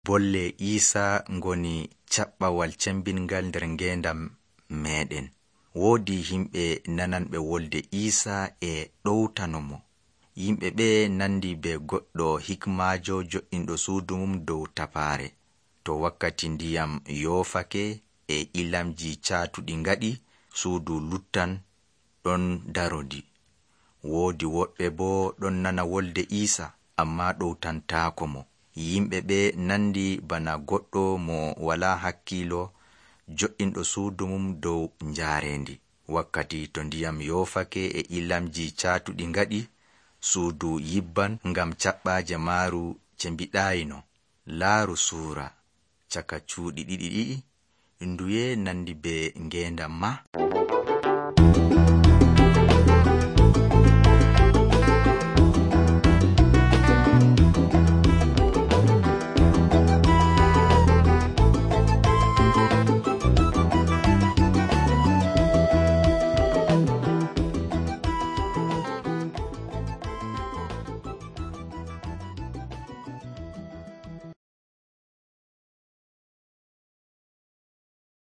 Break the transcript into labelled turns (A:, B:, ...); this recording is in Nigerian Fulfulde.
A: bolle Iisaa ngoni caɓɓawal cembingal nder ngeendam meeɗen. Woodi himɓe nananɓe wolde Iisaa e ɗowtano mo. Yimɓe ɓe nandi be goɗɗo hikmaajo jo'inɗo suudu mum dow tapaare. To wakkati ndiyam yoofake e ilamji caatuɗi ngaɗi, suudu luttan ɗon darodi. Woodi woɓɓe boo ɗon nana wolde Iisaa ammaa ɗowtantaako mo. Yimɓe ɓe nandi bana goɗɗo mo walaa hakkiilo jo'inɗo suudu mum dow njaarendi. Wakkati to ndiyam yoofake e ilamji caatuɗi ngaɗi, suudu yibban ngam caɓɓaaje maaru cembiɗaayino. Laaru suura caka cuuɗi ɗiɗi nduye nandi be ngeendam ma?